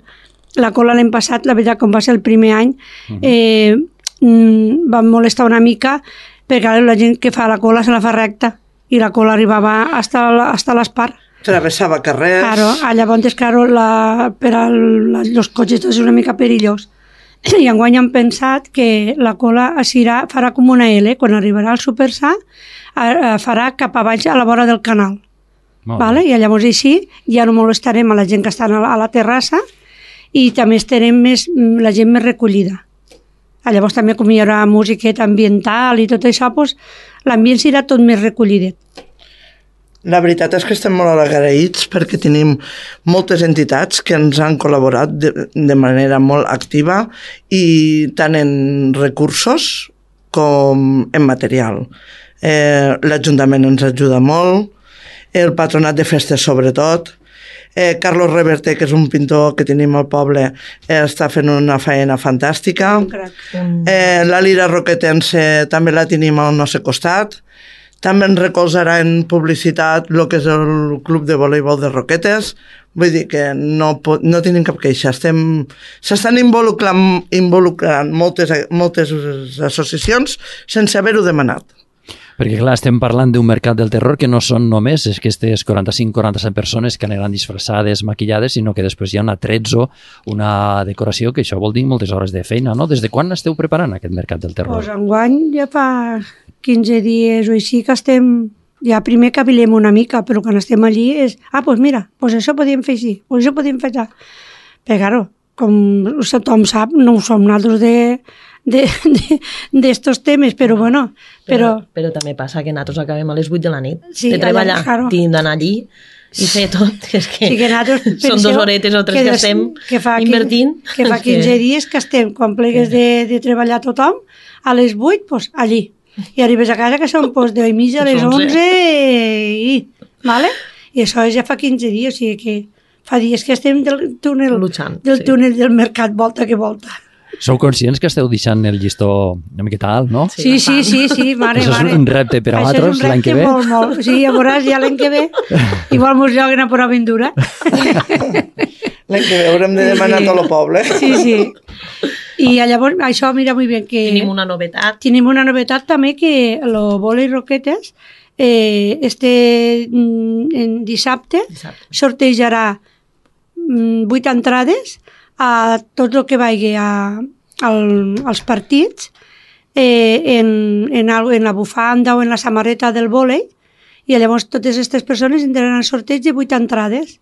la cola l'any passat, la veritat, com va ser el primer any, eh, mm, va molestar una mica perquè la gent que fa la cola se la fa recta i la cola arribava hasta, hasta l'espar. Travessava carrers. Claro, llavors, claro, la, per als cotxes és una mica perillós. I enguany han pensat que la cola serà, farà com una L, quan arribarà al Supersà, farà cap a baix a la vora del canal. Vale? I llavors així ja no molestarem a la gent que està a la terrassa i també estarem més, la gent més recollida. Llavors també com hi haurà musiqueta ambiental i tot això, doncs, l'ambient serà tot més recollidet. La veritat és que estem molt agraïts perquè tenim moltes entitats que ens han col·laborat de, de manera molt activa i tant en recursos com en material. Eh, L'Ajuntament ens ajuda molt, el Patronat de Festes sobretot, eh, Carlos Reverte, que és un pintor que tenim al poble, eh, està fent una feina fantàstica, eh, la Lira Roquetense també la tenim al nostre costat, també ens recolzarà en publicitat el que és el Club de Voleibol de Roquetes, vull dir que no, no tenim cap queixa, estem, s'estan involucrant, involucrant moltes, moltes associacions sense haver-ho demanat. Perquè, clar, estem parlant d'un mercat del terror que no són només aquestes quaranta-cinc quaranta-set persones que aniran disfressades, maquillades, sinó que després hi ha un atrezzo, una decoració, que això vol dir moltes hores de feina, no? Des de quan esteu preparant aquest mercat del terror? Pues enguany ja fa quinze dies o així que estem... Ja primer cavilem una mica, però quan estem allí és... Ah, doncs pues mira, pues això podíem fer així, pues això podíem fer allà. Però, claro, com tothom sap, no ho som nosaltres de d'estos temes, però bueno... Però, però, però també passa que nosaltres acabem a les vuit de la nit sí, de treballar, allà, claro. Tinc d'anar allí i fer tot, que és que, sí, que són dues horetes o tres que, que estem que fa invertint. Que fa quinze que... dies que estem, quan plegues de, de treballar tothom, a les vuit, doncs allí. I arribes a casa que són pues, de mitja a les onze i... Vale? I això ja fa quinze dies, o sigui que fa dies que estem del túnel, Luchant, del, sí. túnel del mercat volta que volta. Sou conscients que esteu deixant el llistó una miqueta alt, no? Sí, sí, sí, sí, mare, això mare. és un repte per a vosaltres l'any que ve? Això és un repte molt, molt. Sí, ja veuràs, ja l'any que ve, igual mos lloguen a por aventura. L'any que ve haurem de demanar sí. a tot el poble. Sí, sí. I llavors, això, mira, muy bien que... Tenim una novetat. Tenim una novetat també que lo Bola i Roquetes eh, este en dissabte, dissabte. sortejarà vuit entrades a tot el que vagi a, al, als partits eh, en, en, algo, en la bufanda o en la samarreta del vòlei i llavors totes aquestes persones entraran al sorteig de vuit entrades.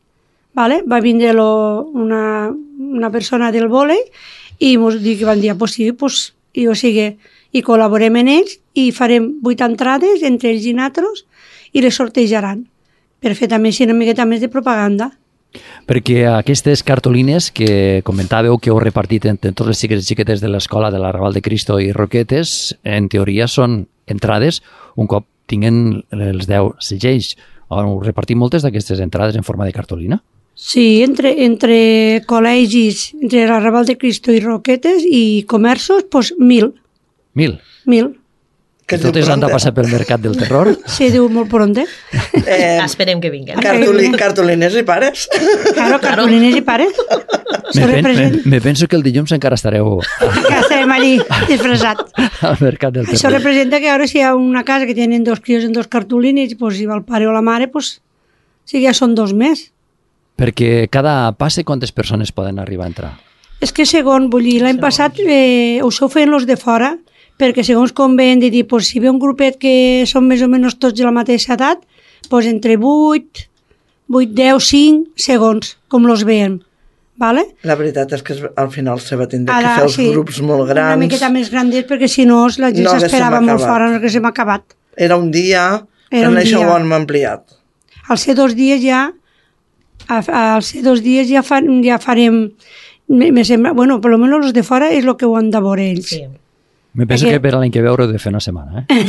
Vale? Va vindre lo, una, una persona del vòlei i ens diu que van dir, pues sí, pues, i, o sigui, i col·laborem en ells i farem vuit entrades entre ells i nosaltres i les sortejaran per fer també així una miqueta més de propaganda. Perquè aquestes cartolines que comentàveu que heu repartit entre tots els xiquets i xiquetes de l'escola de l'Arrabal de Cristo i Roquetes, en teoria són entrades un cop tinguen els deu segells. Heu repartit moltes d'aquestes entrades en forma de cartolina? Sí, entre, entre col·legis, entre l'Arrabal de Cristo i Roquetes i comerços, doncs mil. Mil? Mil. Que totes han de passar pel mercat del terror? Sí, diu molt pronte. Eh, Esperem que vinguin. Cartolí, cartolines i pares. Claro, cartolines i pares. Me, pen, me, me penso que el dilluns encara estareu... Que estarem allí, disfressats. Al mercat del terror. Això representa que ara si hi ha una casa que tenen dos crios en dos cartolines, pues, si va el pare o la mare, pues, sí, ja són dos més. Perquè cada passe quantes persones poden arribar a entrar? És que segons, vull dir, l'any passat eh, ho sou fent los de fora, perquè segons com ven de dir, pues, si ve un grupet que són més o menys tots de la mateixa edat, pues, entre vuit, vuit, deu, cinc, segons com los veiem. Vale? La veritat és que al final se va tindre Ara, que fer els sí, grups molt grans. Una miqueta més grandets, perquè si no la gent no s'esperava molt fora, no que se m'ha acabat. Era un dia, Era en un això dia. ho hem ampliat. Al ser dos dies ja, al ser dos dies ja, fa, ja farem, me, me sembla, bueno, per lo menos los de fora és el que ho han de veure ells. Sí. Me penso Perquè... que per l'any que ve haureu de fer una setmana, eh?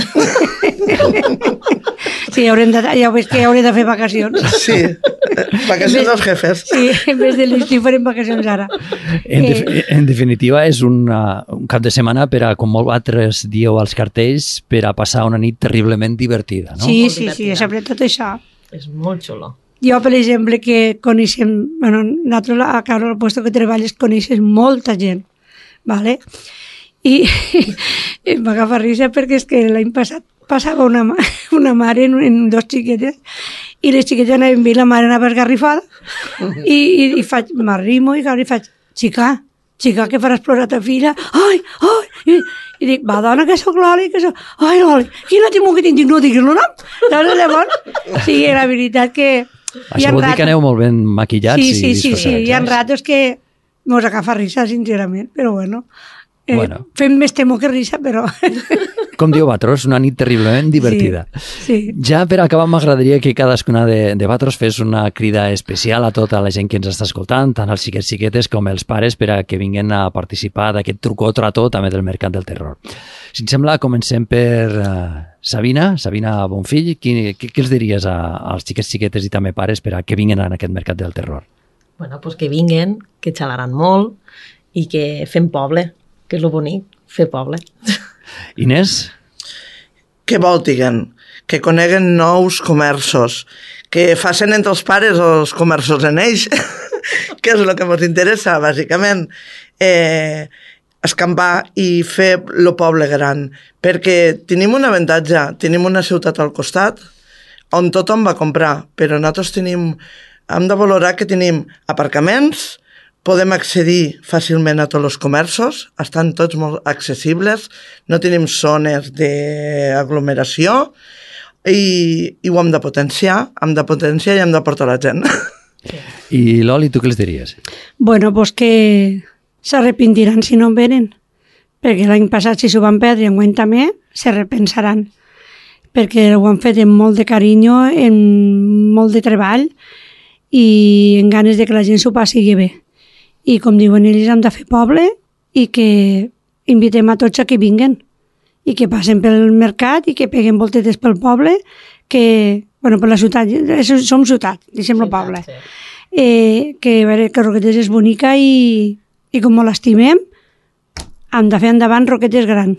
Sí, haurem de, ja veus que hauré de fer vacacions. Sí, vacacions dels jefes. Sí, en vez de l'estiu farem vacacions ara. En, def en definitiva, és una, un cap de setmana per a, com vosaltres dieu als cartells, per a passar una nit terriblement divertida, no? Sí, sí, sí, sobretot això. És molt xulo. Jo, per exemple, que coneixem, bueno, nosaltres a Carol, al lloc que treballes, coneixes molta gent, ¿vale? I em va agafar risa perquè és que l'any passat passava una, una mare en, en dos xiquetes i les xiquetes anaven bé, la mare anava esgarrifada i, i, i faig, m'arrimo i, i faig, xica, xica, que faràs plorar ta filla? Ai, ai! I, i dic, va, dona, que sóc l'Oli, que sóc... Ai, l'Oli, quina timó que tinc, dic, no diguis el nom. Llavors, llavors, sí, la veritat que... Això vol dir que aneu molt ben maquillats sí, i sí, sí, sí, hi ha eh? ratos que mos agafa risa, sincerament, però bueno... Eh, bueno. Fem més temor que risa, però... Com diu Batros, una nit terriblement divertida. Sí, sí. Ja per acabar m'agradaria que cadascuna de, de Batros fes una crida especial a tota la gent que ens està escoltant, tant els xiquets xiquetes com els pares, per a que vinguin a participar d'aquest truco o trato també del mercat del terror. Si et sembla, comencem per uh, Sabina, Sabina Bonfill. Què, què, què els diries a, als xiquets xiquetes i també pares per a que vinguin a aquest mercat del terror? Bueno, pues que vinguen, que xalaran molt i que fem poble, que és lo bonic, fer poble. Inés? Que voltiguen, que coneguen nous comerços, que facin entre els pares els comerços en ells, que és el que ens interessa, bàsicament. Eh, escampar i fer el poble gran, perquè tenim un avantatge, tenim una ciutat al costat on tothom va comprar, però nosaltres tenim, hem de valorar que tenim aparcaments, podem accedir fàcilment a tots els comerços, estan tots molt accessibles, no tenim zones d'aglomeració i, i ho hem de potenciar, hem de potenciar i hem de portar la gent. I Loli, tu què els diries? Bueno, pues que s'arrepentiran si no en venen, perquè l'any passat si s'ho van perdre i enguany també, se repensaran, perquè ho han fet amb molt de carinyo, amb molt de treball i amb ganes de que la gent s'ho passi bé. I com diuen ells, hem de fer poble i que invitem a tots a que vinguen i que passen pel mercat i que peguen voltetes pel poble, que, bueno, per la ciutat, som ciutat, deixem-lo poble. Eh, que, a veure, que Roquetes és bonica i, i com molt l'estimem, hem de fer endavant Roquetes gran.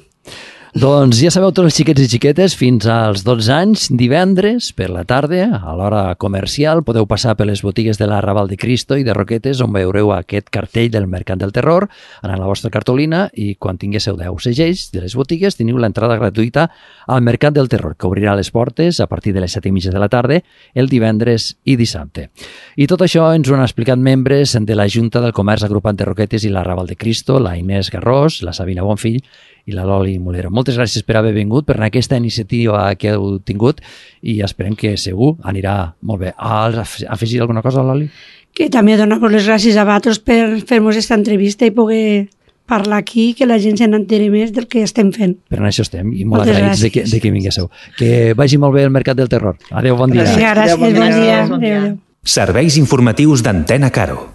Doncs ja sabeu, tots els xiquets i xiquetes, fins als dotze anys, divendres, per la tarda, a l'hora comercial, podeu passar per les botigues de l'Arrabal de Cristo i de Roquetes, on veureu aquest cartell del Mercat del Terror, anar a la vostra cartolina i quan tinguéssiu deu segells de les botigues teniu l'entrada gratuïta al Mercat del Terror, que obrirà les portes a partir de les set i mitja de la tarda, el divendres i dissabte. I tot això ens ho han explicat membres de la Junta del Comerç Agrupat de Roquetes i l'Arrabal de Cristo, la Inés Garrós, la Sabina Bonfill i la Loli Mulero. Moltes gràcies per haver vingut, per aquesta iniciativa que heu tingut i esperem que segur anirà molt bé. Has afegit alguna cosa, Loli? Que també donar les gràcies a vosaltres per fer-nos aquesta entrevista i poder parlar aquí, que la gent se n'entere més del que estem fent. Per això estem i molt Moltes agraïts de que, de que vinguéssiu. Que vagi molt bé el Mercat del Terror. Adéu, bon dia. Gràcies, gràcies, bon dia. Bon dia. Adéu, adéu. Serveis informatius d'Antena Caro.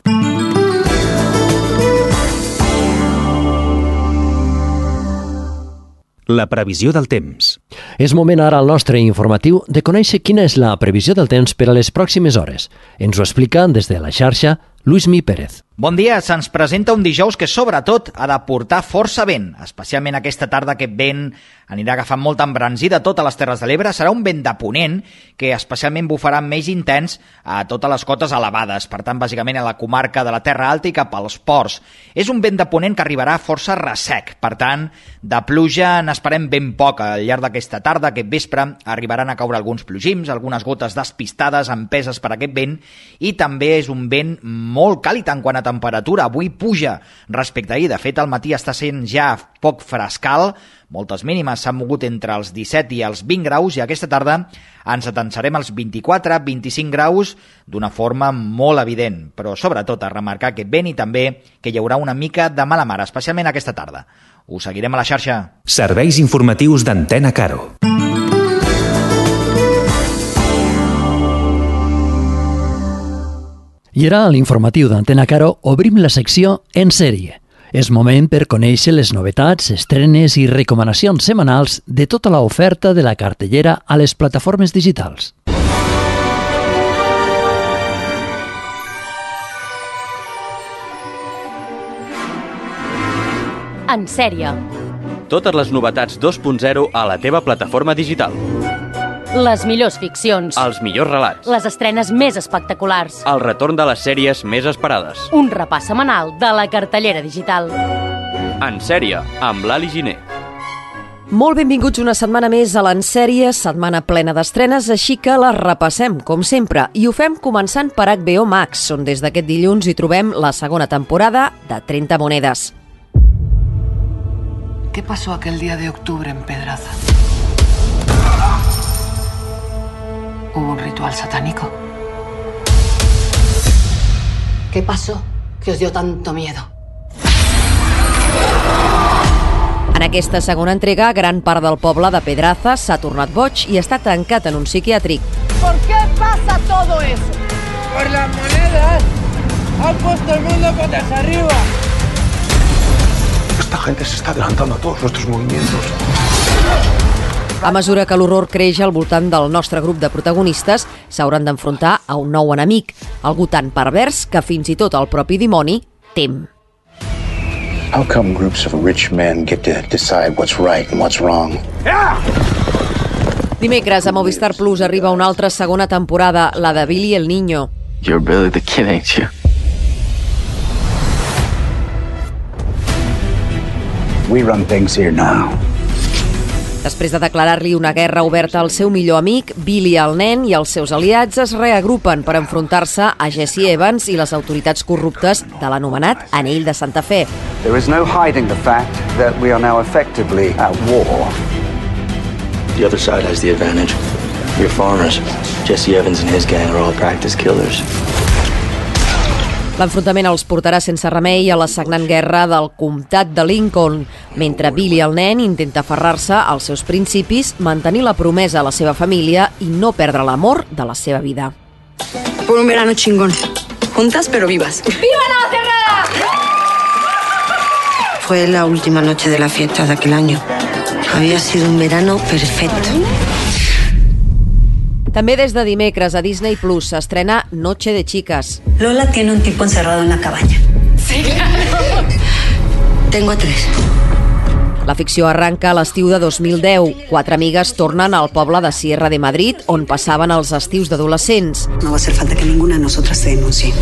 La previsió del temps. És moment ara al nostre informatiu de conèixer quina és la previsió del temps per a les pròximes hores. Ens ho explica des de la xarxa Luismi Pérez. Bon dia, se'ns presenta un dijous que sobretot ha de portar força vent, especialment aquesta tarda aquest vent anirà agafant molta embranzida a totes les Terres de l'Ebre, serà un vent de ponent que especialment bufarà més intens a totes les cotes elevades, per tant bàsicament a la comarca de la Terra Alta i cap als ports. És un vent de ponent que arribarà força ressec, per tant de pluja n'esperem ben poc al llarg d'aquesta tarda, aquest vespre arribaran a caure alguns plogims, algunes gotes despistades empeses per aquest vent i també és un vent molt càlid en quant a temperatura, avui puja respecte a ahir, de fet al matí està sent ja poc frescal, moltes mínimes s'han mogut entre els disset i els vint graus i aquesta tarda ens atensarem als vint-i-quatre a vint-i-cinc graus d'una forma molt evident, però sobretot a remarcar aquest vent i també que hi haurà una mica de mala mar, especialment aquesta tarda. Us seguirem a la xarxa. Serveis informatius d'Antena Caro. I ara, a l'informatiu d'Antena Caro, obrim la secció En sèrie. És moment per conèixer les novetats, estrenes i recomanacions setmanals de tota l'oferta de la cartellera a les plataformes digitals. En sèrie. Totes les novetats dos punt zero a la teva plataforma digital. Les millors ficcions. Els millors relats. Les estrenes més espectaculars. El retorn de les sèries més esperades. Un repàs setmanal de la cartellera digital. En sèrie, amb l'Ali Giner. Molt benvinguts una setmana més a l'En sèrie, setmana plena d'estrenes, així que la repassem, com sempre, i ho fem començant per H B O Max, on des d'aquest dilluns hi trobem la segona temporada de trenta monedas. ¿Qué pasó aquel día de octubre en Pedraza? ¿Hubo un ritual satánico? ¿Qué pasó que os dio tanto miedo? En aquesta segona entrega, gran part del poble de Pedraza s'ha tornat boig i està tancat en un psiquiàtric. ¿Por qué pasa todo eso? Por las monedas. Han puesto el mundo patas arriba. Esta gente se está adelantando a todos nuestros movimientos. A mesura que l'horror creix al voltant del nostre grup de protagonistes, s'hauran d'enfrontar a un nou enemic, algú tan pervers que fins i tot el propi dimoni tem. How come groups of rich men get to decide what's right and what's wrong? Dimecres a Movistar Plus arriba una altra segona temporada, la de Billy el Niño. You're Billy the Kid, ain't you? We run things here now. Després de declarar-li una guerra oberta al seu millor amic, Billy el nen i els seus aliats es reagrupen per enfrontar-se a Jesse Evans i les autoritats corruptes de l'anomenat Anell de Santa Fe. There is no hiding the fact that we are now effectively at war. The other side has the advantage. We're farmers. Jesse Evans and his gang are all practice killers. L'enfrontament els portarà sense remei a la sagnant guerra del comtat de Lincoln, mentre Billy el nen intenta aferrar-se als seus principis, mantenir la promesa a la seva família i no perdre l'amor de la seva vida. Por un verano chingón. Juntas pero vivas. ¡Viva Navacerrada! Fue la última noche de la fiesta de aquel año. Había sido un verano perfecto. També des de dimecres a Disney Plus s'estrena Noche de Chicas. Lola tiene un tipo encerrado en la cabaña. Sí, claro. Tengo a tres. La ficció arranca a l'estiu de dos mil deu. Quatre amigues tornen al poble de Sierra de Madrid, on passaven els estius d'adolescents. No va a hacer falta que ninguna de nosotras se denuncie.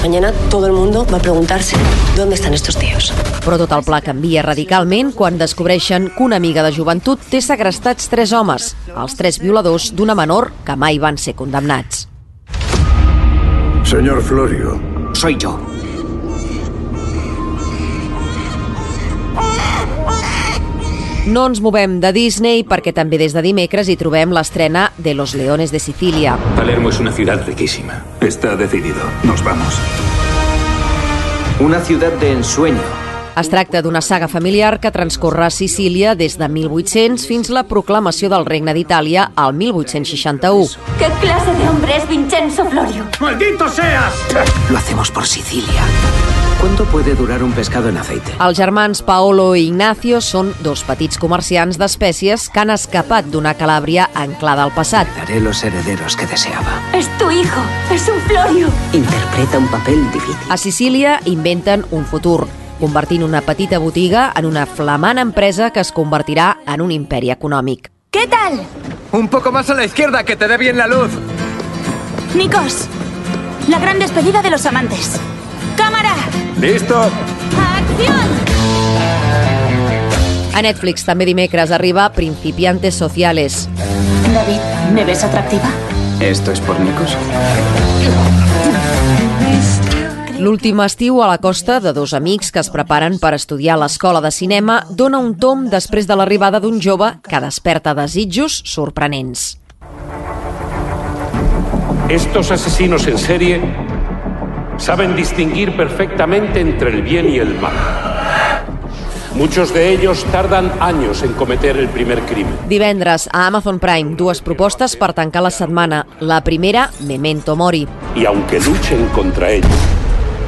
Mañana todo el mundo va a preguntarse ¿dónde están estos tíos? Però tot el pla canvia radicalment quan descobreixen que una amiga de joventut té segrestats tres homes, els tres violadors d'una menor que mai van ser condemnats. Señor Florio. Soy yo. No ens movem de Disney perquè també des de dimecres hi trobem l'estrena de Los Leones de Sicilia. Palermo es una ciudad riquísima. Está decidido. Nos vamos. Una ciudad de ensueño. Es tracta d'una saga familiar que transcorre a Sicília des de mil vuit-cents fins la proclamació del Regne d'Itàlia al mil vuit-cents seixanta-u. ¿Qué clase de hombre es Vincenzo Florio? ¡Maldito seas! Lo hacemos por Sicilia. ¿Cuánto puede durar un pescado en aceite? Els germans Paolo i Ignacio són dos petits comerciants d'espècies que han escapat d'una Calàbria anclada al passat. Daré los herederos que deseaba. Es tu hijo, es un Florio. Interpreta un papel difícil. A Sicília inventen un futur, convertint una petita botiga en una flamant empresa que es convertirà en un imperi econòmic. ¿Qué tal? Un poco más a la izquierda, que te dé bien la luz. Nikos, la gran despedida de los amantes. ¡Cámara! ¡Listo! ¡Acción! A Netflix també dimecres arriba Principiantes Sociales. David, ¿me ves atractiva? ¿Esto es por Nikos? L'últim estiu a la costa de dos amics que es preparen per estudiar a l'escola de cinema dona un tomb després de l'arribada d'un jove que desperta desitjos sorprenents. Estos asesinos en serie saben distinguir perfectamente entre el bien y el mal. Muchos de ellos tardan años en cometer el primer crimen. Divendres a Amazon Prime, dues propostes per tancar la setmana. La primera, Memento Mori. Y aunque luchen contra ellos,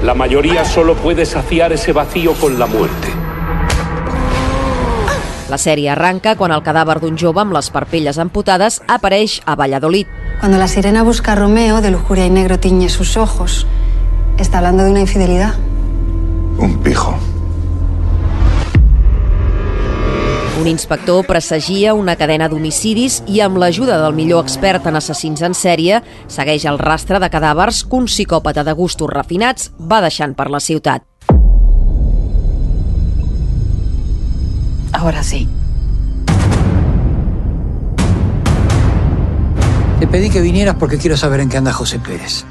la mayoría solo puede saciar ese vacío con la muerte. La sèrie arranca quan el cadàver d'un jove amb les parpelles amputades apareix a Valladolid. Cuando la sirena busca a Romeo, de lujuria y negro tiñe sus ojos. ¿Está hablando de una infidelidad? Un pijo. Un inspector presagia una cadena d'homicidis i amb l'ajuda del millor expert en assassins en sèrie segueix el rastre de cadàvers que un psicòpata de gustos refinats va deixant per la ciutat. Ahora sí. Te pedí que vinieras porque quiero saber en qué anda José Pérez.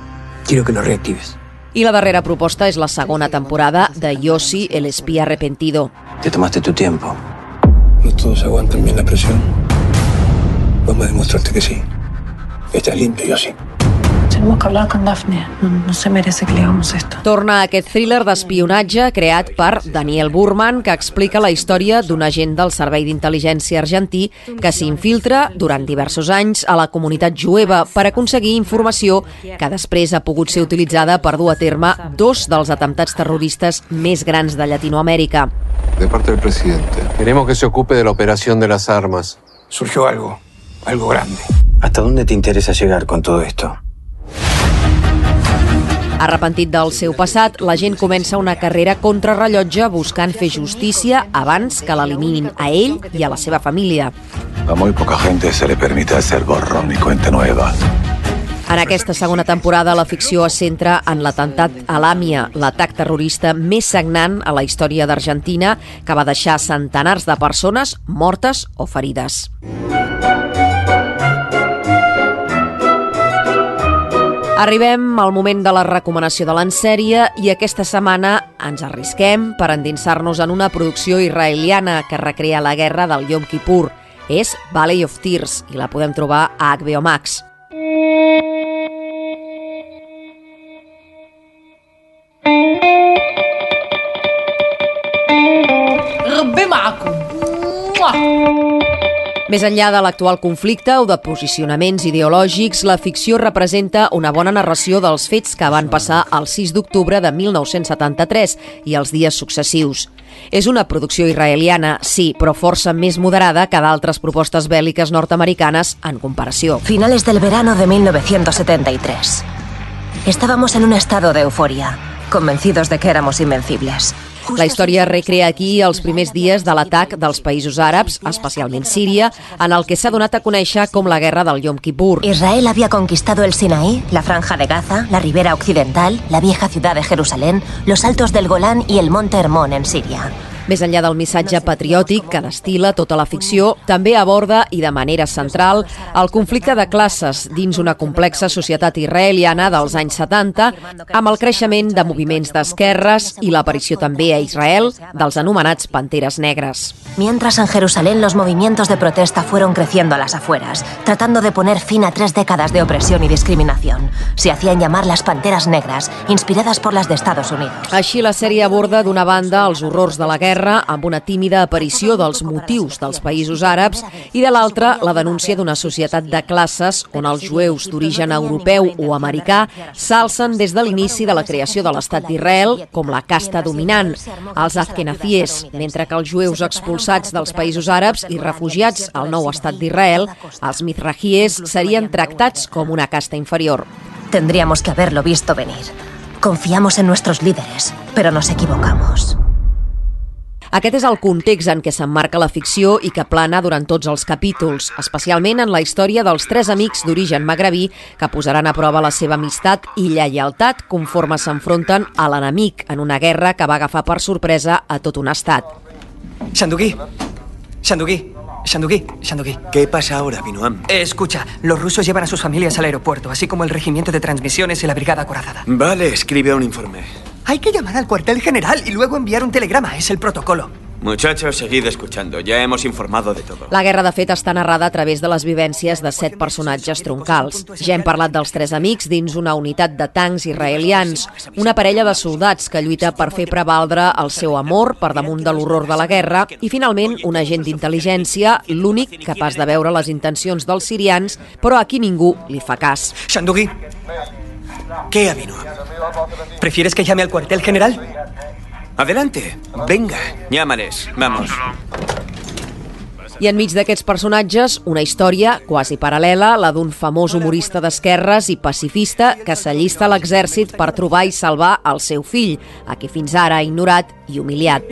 Quiero que lo reactives. I la darrera proposta és la segona temporada de Yossi, el espía arrepentido. Te tomaste tu tiempo. ¿No todos aguantan bien la presión? Vamos a demostrarte que sí. Estás limpio, yo sí. Tenemos que hablar con Daphne. No, no se merece que le hagamos esto. Torna aquest thriller d'espionatge creat per Daniel Burman, que explica la història d'un agent del Servei d'Intel·ligència argentí que s'infiltra durant diversos anys a la comunitat jueva per aconseguir informació que després ha pogut ser utilitzada per dur a terme dos dels atemptats terroristes més grans de Llatinoamèrica. De parte del presidente. Queremos que se ocupe de la operación de las armas. Surgió algo, algo grande. ¿Hasta dónde te interesa llegar con todo esto? Arrepentit del seu passat, la gent comença una carrera contrarrellotge buscant fer justícia abans que l'eliminin a ell i a la seva família. A muy poca gente se le permite hacer borrón y cuenta nueva. En aquesta segona temporada, la ficció es centra en l'atemptat a l'Àmia, l'atac terrorista més sagnant a la història d'Argentina, que va deixar centenars de persones mortes o ferides. Arribem al moment de la recomanació de l'ensèrie i aquesta setmana ens arrisquem per endinsar-nos en una producció israeliana que recrea la guerra del Yom Kippur. És Valley of Tears i la podem trobar a H B O Max. Més enllà de l'actual conflicte o de posicionaments ideològics, la ficció representa una bona narració dels fets que van passar el sis d'octubre de mil nou-cents setanta-tres i els dies successius. És una producció israeliana, sí, però força més moderada que d'altres propostes bèl·liques nord-americanes en comparació. Finales del verano de mil novecientos setenta y tres. Estábamos en un estado de euforia, convencidos de que éramos invencibles. La història recrea aquí els primers dies de l'atac dels països àrabs, especialment Síria, en el que s'ha donat a conèixer com la guerra del Yom Kippur. Israel había conquistado el Sinaí, la Franja de Gaza, la Ribera Occidental, la vieja ciudad de Jerusalén, los altos del Golán y el monte Hermón en Síria. Més enllà del missatge patriòtic que destila tota la ficció, també aborda, i de manera central, el conflicte de classes dins una complexa societat israeliana dels anys setanta, amb el creixement de moviments d'esquerres i l'aparició també a Israel dels anomenats panteres negres. Mientras en Jerusalén los movimientos de protesta fueron creciendo a las afueras, tratando de poner fin a tres décadas de opresión y discriminación. Se hacían llamar las panteras negras, inspiradas por las de Estados Unidos. Així, la sèrie aborda d'una banda els horrors de la guerra amb una tímida aparició dels motius dels països àrabs i de l'altra la denúncia d'una societat de classes on els jueus d'origen europeu o americà s'alcen des de l'inici de la creació de l'Estat d'Israel com la casta dominant, els azkenazies, mentre que els jueus expulsats dels països àrabs i refugiats al nou Estat d'Israel, els mizrahies, serien tractats com una casta inferior. Tendríamos que haberlo visto venir. Confiamos en nuestros líderes, pero nos equivocamos. Aquest és el context en què s'emmarca la ficció i que plana durant tots els capítols, especialment en la història dels tres amics d'origen magrebí que posaran a prova la seva amistat i lleialtat conforme s'enfronten a l'enemic en una guerra que va agafar per sorpresa a tot un estat. Shandugui, Shandugui, Shandugui, Shandugui. ¿Qué pasa ahora, Binoam? Eh, escucha, los rusos llevan a sus familias al aeropuerto, así como el regimiento de transmisiones y la brigada acorazada. Vale, escribe un informe. Hay que llamar al cuartel general y luego enviar un telegrama. Es el protocolo. Muchachos, seguid escuchando. Ya hemos informado de todo. La guerra, de fet, està narrada a través de les vivències de set personatges troncals. Ja hem parlat dels tres amics dins una unitat de tancs israelians, una parella de soldats que lluita per fer prevaldre el seu amor per damunt de l'horror de la guerra i, finalment, un agent d'intel·ligència, l'únic capaç de veure les intencions dels sirians, però a qui ningú li fa cas. Shandugui. ¿Qué, Abinoam? ¿Prefieres que llame al cuartel general? Adelante, venga, llámales, vamos. I enmig d'aquests personatges, una història quasi paral·lela, la d'un famós humorista d'esquerres i pacifista que s'allista a l'exèrcit per trobar i salvar el seu fill, a qui fins ara ha ignorat i humiliat.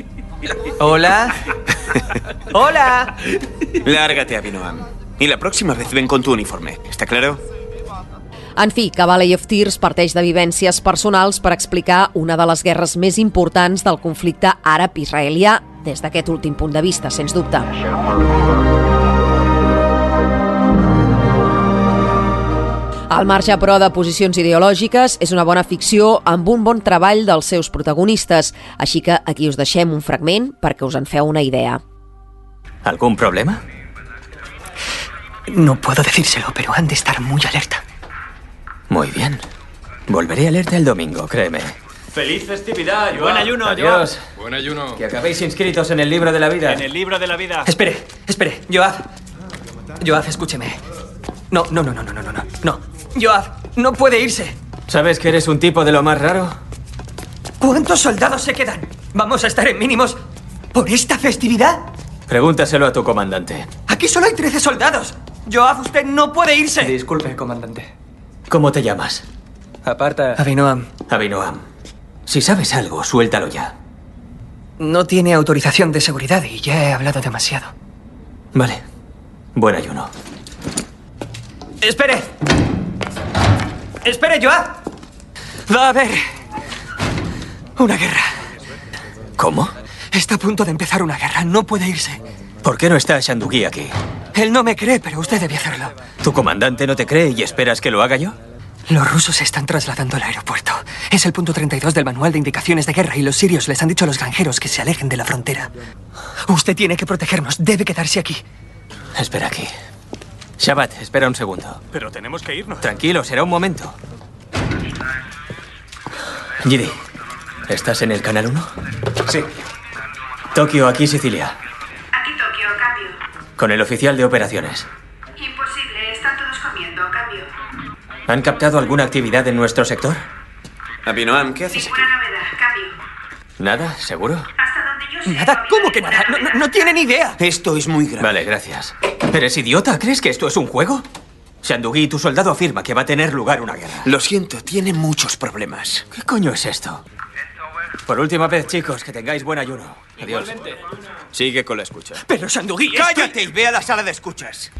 Hola. Hola. Lárgate, Abinoam. Y la próxima vez ven con tu uniforme, ¿está claro? En fi, que Valley of Tears parteix de vivències personals per explicar una de les guerres més importants del conflicte àrab-israelià des d'aquest últim punt de vista, sens dubte. Al marge, però, de posicions ideològiques, és una bona ficció amb un bon treball dels seus protagonistes, així que aquí us deixem un fragment perquè us en feu una idea. ¿Algún problema? No puedo decírselo, pero han de estar muy alerta. Muy bien. Volveré alerta el domingo, créeme. ¡Feliz festividad, Joab! Buen ayuno, Adiós. Joab. Buen ayuno. Que acabéis inscritos en el libro de la vida. En el libro de la vida. Espere, espere, Joab. Joab, escúcheme. No, no, no, no, no, no, no, no. Joab, no puede irse. ¿Sabes que eres un tipo de lo más raro? ¿Cuántos soldados se quedan? ¿Vamos a estar en mínimos por esta festividad? Pregúntaselo a tu comandante. Aquí solo hay trece soldados. Joab, usted no puede irse. Disculpe, comandante. ¿Cómo te llamas? Aparta. Abinoam. Abinoam. Si sabes algo, suéltalo ya. No tiene autorización de seguridad y ya he hablado demasiado. Vale. Buen ayuno. ¡Espere! Espere, Joab. Va a haber una guerra. ¿Cómo? Está a punto de empezar una guerra. No puede irse. ¿Por qué no está Shandugui aquí? Él no me cree, pero usted debe hacerlo. ¿Tu comandante no te cree y esperas que lo haga yo? Los rusos se están trasladando al aeropuerto. Es el punto treinta y dos del manual de indicaciones de guerra y los sirios les han dicho a los granjeros que se alejen de la frontera. Usted tiene que protegernos. Debe quedarse aquí. Espera aquí. Shabbat, espera un segundo. Pero tenemos que irnos. Tranquilo, será un momento. Gidi, ¿estás en el canal uno? Sí. Tokio, aquí Sicilia. Aquí Tokio, cambio. Con el oficial de operaciones. Imposible, están todos comiendo, cambio. ¿Han captado alguna actividad en nuestro sector? Abinoam, ¿qué haces Ninguna novedad, cambio. ¿Nada? ¿Seguro? Hasta donde yo sé. ¿Nada? ¿Cómo que nada? No, no, no tiene ni idea. Esto es muy grave. Vale, gracias. ¿Eres idiota? ¿Crees que esto es un juego? Shandugui, tu soldado afirma que va a tener lugar una guerra. Lo siento, tiene muchos problemas. ¿Qué coño es esto? Por última vez, chicos, que tengáis buen ayuno. Adiós. Igualmente. Sigue con la escucha. Pero Shandugui, ¡cállate y ve a la sala de escuchas!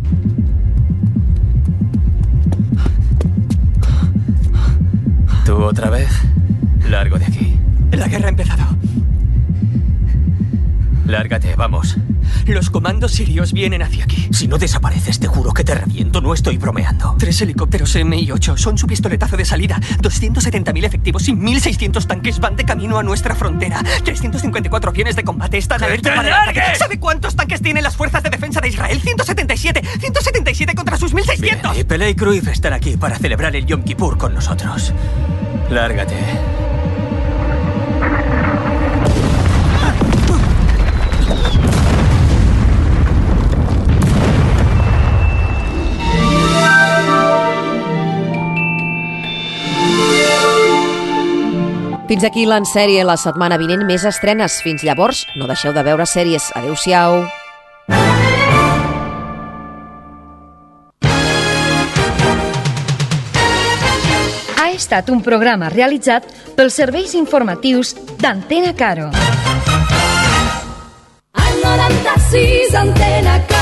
¿Tú otra vez? Largo de aquí. La guerra ha empezado. Lárgate, vamos. Los comandos sirios vienen hacia aquí. Si no desapareces, te juro que te reviento. No estoy bromeando. Tres helicópteros M I ocho son su pistoletazo de salida. doscientos setenta mil efectivos y mil seiscientos tanques van de camino a nuestra frontera. trescientos cincuenta y cuatro aviones de combate están alerta para el ataque. ¿Sabe cuántos tanques tienen las fuerzas de defensa de Israel? ciento setenta y siete. ciento setenta y siete contra sus mil seiscientos. Bien, y Pelé y Cruyff están aquí para celebrar el Yom Kippur con nosotros. Lárgate. Fins aquí l'Ensèrie la setmana vinent, més estrenes. Fins llavors, no deixeu de veure sèries. Adéu-siau. Ha estat un programa realitzat pels serveis informatius d'Antena Caro. Al noranta-sis, Antena Caro.